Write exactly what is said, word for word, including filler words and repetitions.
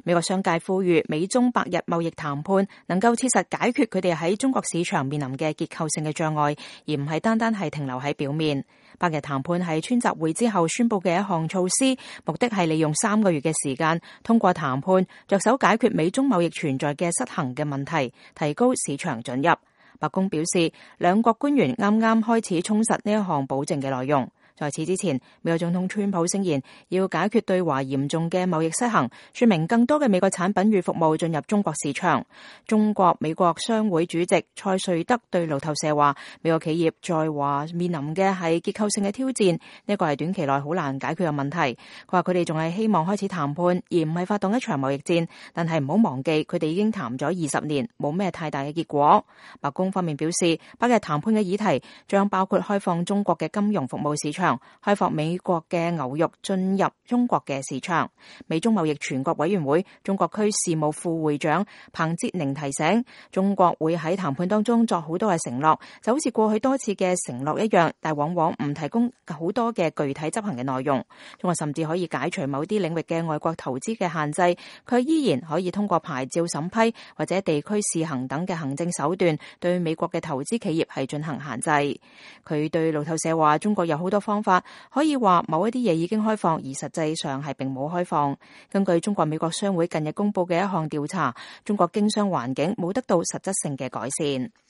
美國商界呼籲美中百日貿易談判能夠切實解決佢哋喺中國市場面臨嘅結構性嘅障礙，而唔係單單係停留喺表面。百日談判係川習會之後宣布嘅一項措施，目的係利用三個月嘅時間，通過談判着手解決美中貿易存在嘅失衡嘅問題，提高市場准入。白宮表示，兩國官員啱啱開始充實呢一項保證嘅內容。在此之前，美國總統川普聲言要解決對華嚴重嘅貿易失衡，說明更多嘅美國產品與服務進入中國市場。中國美國商會主席蔡瑞德對路透社話，美國企業在華面臨嘅係結構性嘅挑戰，呢個係短期內好難解決嘅問題。佢話佢哋仲係希望開始談判，而唔係發動一場貿易戰，但係唔好忘記佢哋已經談咗二十年，冇咩太大嘅結果。白宮方面表示，百日談判嘅議題將包括開放中國嘅金融服務市場，開放美國嘅牛肉進入中國嘅市場。美中貿易全國委員會中國區事務副會長彭哲寧提醒，中國會喺談判當中作好多嘅承諾，就好似過去多次嘅承諾一樣，但往往唔提供好多嘅具體執行嘅內容。中國甚至可以解除某啲領域嘅外國投資嘅限制，佢依然可以通過牌照審批或者地區試行等嘅行政手段，對美國嘅投資企業係進行限制。佢對路透社話，中國有好多方法可以話某一啲嘢已經開放，而實際上係並冇開放。根據中國美國商會近日公布嘅一項調查，中國經商環境冇得到實質性嘅改善。